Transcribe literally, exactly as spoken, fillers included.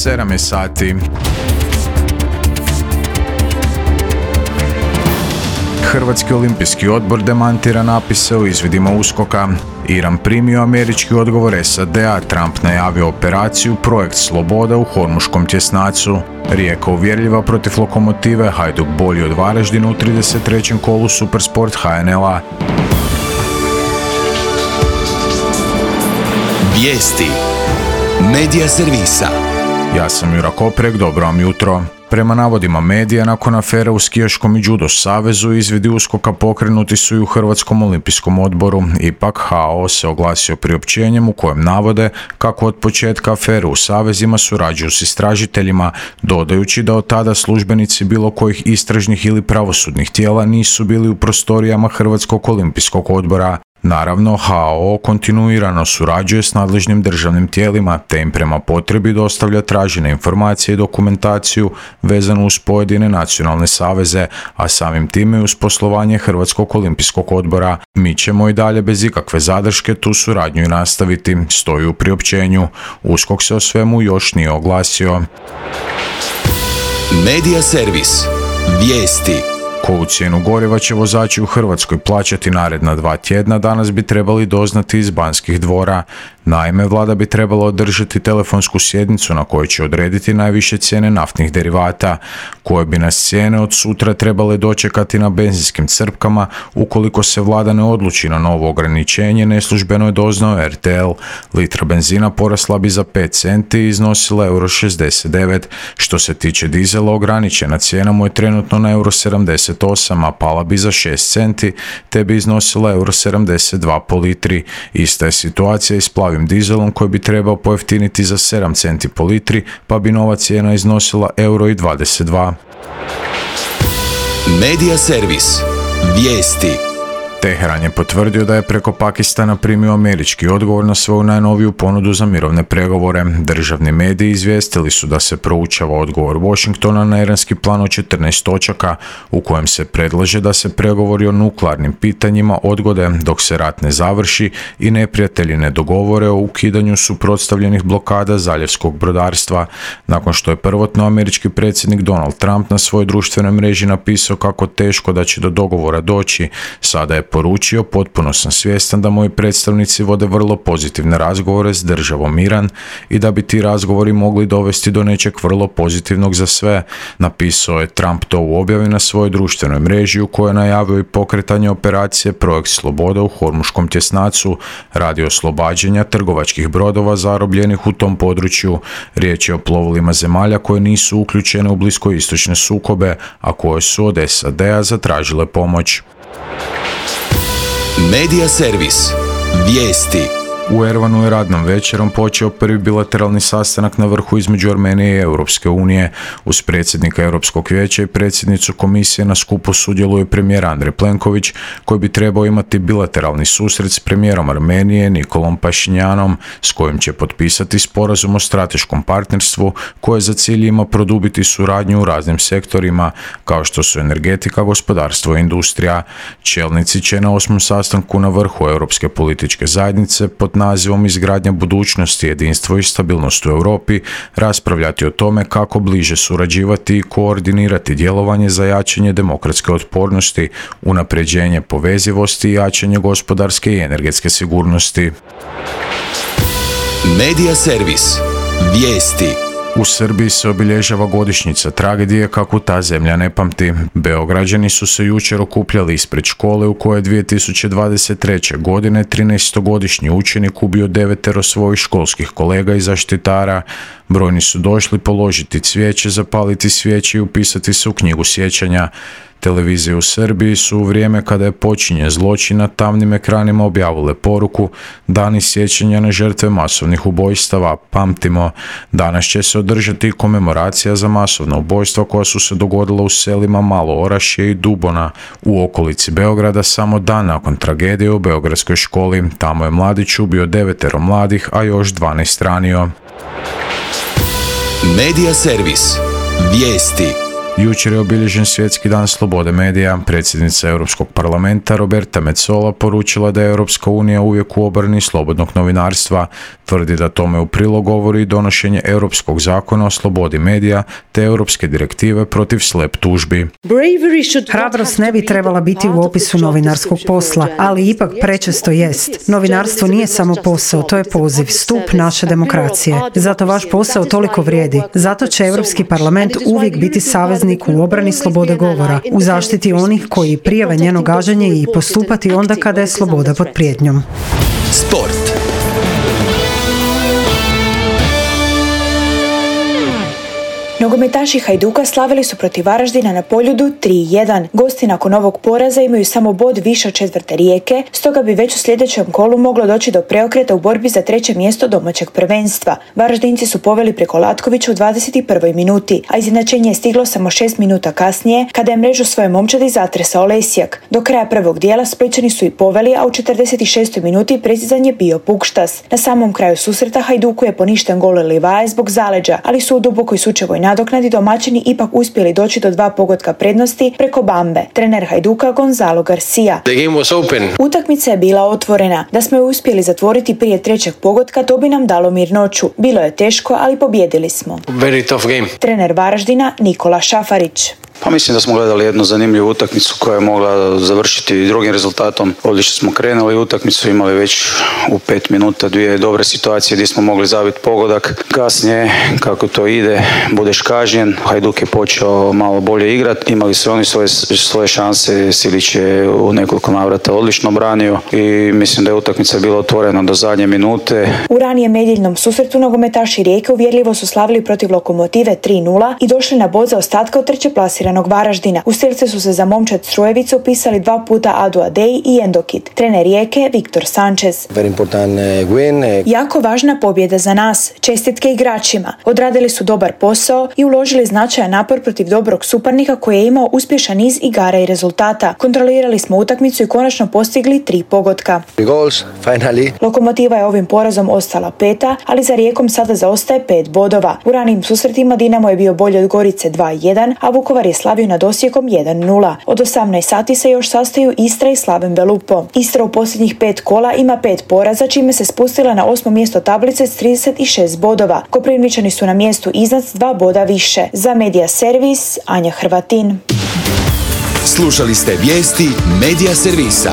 sedam je sati. Hrvatski olimpijski odbor demantira napise o izvidima uskoka. Iran primio američki odgovor S A D-a, Trump najavio operaciju Projekt Sloboda u Hormuškom tjesnacu. Rijeka uvjerljiva protiv Lokomotive, Hajduk bolji od Varaždina u trideset trećem kolu Supersport H N L-a. Vijesti Medija servisa. Ja sam Jura Koprek, dobro vam jutro. Prema navodima medija, nakon afere u skijaškom i judo savezu, izvidi uskoka pokrenuti su i u Hrvatskom olimpijskom odboru. Ipak, H O se oglasio priopćenjem u kojem navode kako od početka afere u savezima surađuju s istražiteljima, dodajući da od tada službenici bilo kojih istražnih ili pravosudnih tijela nisu bili u prostorijama Hrvatskog olimpijskog odbora. Naravno, H O kontinuirano surađuje s nadležnim državnim tijelima, te im prema potrebi dostavlja tražene informacije i dokumentaciju vezanu uz pojedine nacionalne saveze, a samim time i uz poslovanje Hrvatskog olimpijskog odbora. Mi ćemo i dalje bez ikakve zadrške tu suradnju i nastaviti, stoji u priopćenju. USKOK se o svemu još nije oglasio. Medija servis. Vijesti. Koju cijenu goriva će vozači u Hrvatskoj plaćati naredna dva tjedna, danas bi trebali doznati iz Banskih dvora. Naime, vlada bi trebala održati telefonsku sjednicu na kojoj će odrediti najviše cijene naftnih derivata, koje bi nas cijene od sutra trebale dočekati na benzinskim crpkama. Ukoliko se vlada ne odluči na novo ograničenje, neslužbeno je doznao R T L. Litra benzina porasla bi za pet centi i iznosila euro šezdeset devet. Što se tiče dizela, ograničena cijena mu je trenutno na euro sedamdeset osam, a pala bi za šest centi, te bi iznosila euro sedamdeset dva po litri. Ista je situacija i s plavim dizelom koji bi trebao pojeftiniti za sedam centi po litri, pa bi nova cijena iznosila euro i dvadeset dva. Medija servis. Vijesti. Teheran je potvrdio da je preko Pakistana primio američki odgovor na svoju najnoviju ponudu za mirovne pregovore. Državni mediji izvijestili su da se proučava odgovor Washingtona na iranski plan od četrnaest točaka, u kojem se predlaže da se pregovori o nuklearnim pitanjima odgode dok se rat ne završi i neprijatelji ne dogovore o ukidanju suprotstavljenih blokada zaljevskog brodarstva. Nakon što je prvotno američki predsjednik Donald Trump na svojoj društvenoj mreži napisao kako teško da će do dogovora doći, sada je poručio: potpuno sam svjestan da moji predstavnici vode vrlo pozitivne razgovore s državom Iran i da bi ti razgovori mogli dovesti do nečeg vrlo pozitivnog za sve. Napisao je Trump to u objavi na svojoj društvenoj mreži u kojoj je najavio i pokretanje operacije Projekt Sloboda u Hormuškom tjesnacu radi oslobađanja trgovačkih brodova zarobljenih u tom području. Riječ je o plovilima zemalja koje nisu uključene u bliskoistočne sukobe, a koje su od S A D-a zatražile pomoć. Medija servis. Vijesti. U Erevanu je radnom večerom počeo prvi bilateralni sastanak na vrhu između Armenije i Europske unije. Uz predsjednika Europskog vijeća i predsjednicu komisije na skupu sudjeluje premijer Andrej Plenković, koji bi trebao imati bilateralni susret s premijerom Armenije Nikolom Pašinjanom, s kojim će potpisati sporazum o strateškom partnerstvu koje za cilj ima produbiti suradnju u raznim sektorima, kao što su energetika, gospodarstvo i industrija. Čelnici će na osmom sastanku na vrhu Europske političke zajednice pod nazivom Izgradnja budućnosti, jedinstvo i stabilnost u Europi raspravljati o tome kako bliže surađivati i koordinirati djelovanje za jačanje demokratske otpornosti, unapređenje povezivosti i jačanje gospodarske i energetske sigurnosti. Medija servis. Vijesti. U Srbiji se obilježava godišnjica tragedije kako ta zemlja ne pamti. Beograđani su se jučer okupljali ispred škole u kojoj je dvije tisuće dvadeset treće. godine trinaestogodišnji učenik ubio devetero svojih školskih kolega i zaštitara. Brojni su došli položiti cvijeće, zapaliti svijeće i upisati se u knjigu sjećanja. Televizije u Srbiji su u vrijeme kada je počinjen zločin na tamnim ekranima objavile poruku: Dani sjećanja na žrtve masovnih ubojstava, pamtimo. Danas će se održati komemoracija za masovna ubojstva koja su se dogodila u selima Malo Orašje i Dubona u okolici Beograda samo dan nakon tragedije u beogradskoj školi. Tamo je mladić ubio devetero mladih, a još dvanaest ranio. Medija servis. Vijesti. Jučer je obilježen Svjetski dan slobode medija. Predsjednica Europskog parlamenta Roberta Metsola poručila da je Europska unija uvijek u obrani slobodnog novinarstva. Tvrdi da tome u prilog govori i donošenje Europskog zakona o slobodi medija te Europske direktive protiv slep tužbi. Hrabrost ne bi trebala biti u opisu novinarskog posla, ali ipak prečesto jest. Novinarstvo nije samo posao, to je poziv, stup naše demokracije. Zato vaš posao toliko vrijedi. Zato će Europski parlament uvijek biti saveznik u obrani slobode govora, u zaštiti onih koji prijave njeno gaženje i postupati onda kada je sloboda pod prijetnjom. Sport. Nogometaši Hajduka slavili su protiv Varaždina na Poljudu tri jedan. Gosti nakon ovog poraza imaju samo bod više od četvrte Rijeke, stoga bi već u sljedećem kolu moglo doći do preokreta u borbi za treće mjesto domaćeg prvenstva. Varaždinci su poveli preko Latkovića u dvadeset prvoj minuti, a izjednačenje je stiglo samo šest minuta kasnije, kada je mrežu svoje momčadi zatresao Lesjak. Do kraja prvog dijela Splićani su i poveli, a u četrdeset šestoj minuti precizan je bio Pukštas. Na samom kraju susreta Hajduku je poništen gol Livaje zbog zaleđa, ali su u dubokoj sučevoj nadoknadi domaćini ipak uspjeli doći do dva pogotka prednosti preko Bambe. Trener Hajduka Gonzalo Garcia. Utakmica je bila otvorena. Da smo je uspjeli zatvoriti prije trećeg pogotka, to bi nam dalo mirnoću. Bilo je teško, ali pobijedili smo. Very tough game. Trener Varaždina Nikola Šafarić. Pa mislim da smo gledali jednu zanimljivu utakmicu koja je mogla završiti drugim rezultatom. Odlično smo krenuli utakmicu, imali već u pet minuta dvije dobre situacije gdje smo mogli zabiti pogodak. Kasnije, kako to ide, budeš kažnjen. Hajduk je počeo malo bolje igrati. Imali su oni svoje, svoje šanse. Silić je u nekoliko navrata odlično branio i mislim da je utakmica bila otvorena do zadnje minute. U ranijem nedjeljnom susretu nogometaši Rijeke uvjerljivo su slavili protiv Lokomotive tri nula i došli na bod za ostatka od treće plasiranog Varaždina. U stilce su se za momčad Strujevicu upisali dva puta Adu Adej i Endokit. Trener Rijeke Viktor Sanchez. Jako važna pobjeda za nas. Čestitke igračima. Odradili su dobar posao i uložili značajan napor protiv dobrog suparnika koji je imao uspješan niz igara i rezultata. Kontrolirali smo utakmicu i konačno postigli tri pogotka. Goals, finally. Lokomotiva je ovim porazom ostala peta, ali za Rijekom sada zaostaje pet bodova. U ranijim susretima Dinamo je bio bolji od Gorice dva jedan, a Vukovar je slavio nad Osijekom jedan nula. Od osamnaest sati se još sastaju Istra i Slaven Belupo. Istra u posljednjih pet kola ima pet poraza, čime se spustila na osmo mjesto tablice s trideset šest bodova. Koprivničani su na mjestu iznad s dva boda više. Za Medija Servis, Anja Hrvatin. Slušali ste vijesti Medija Servisa.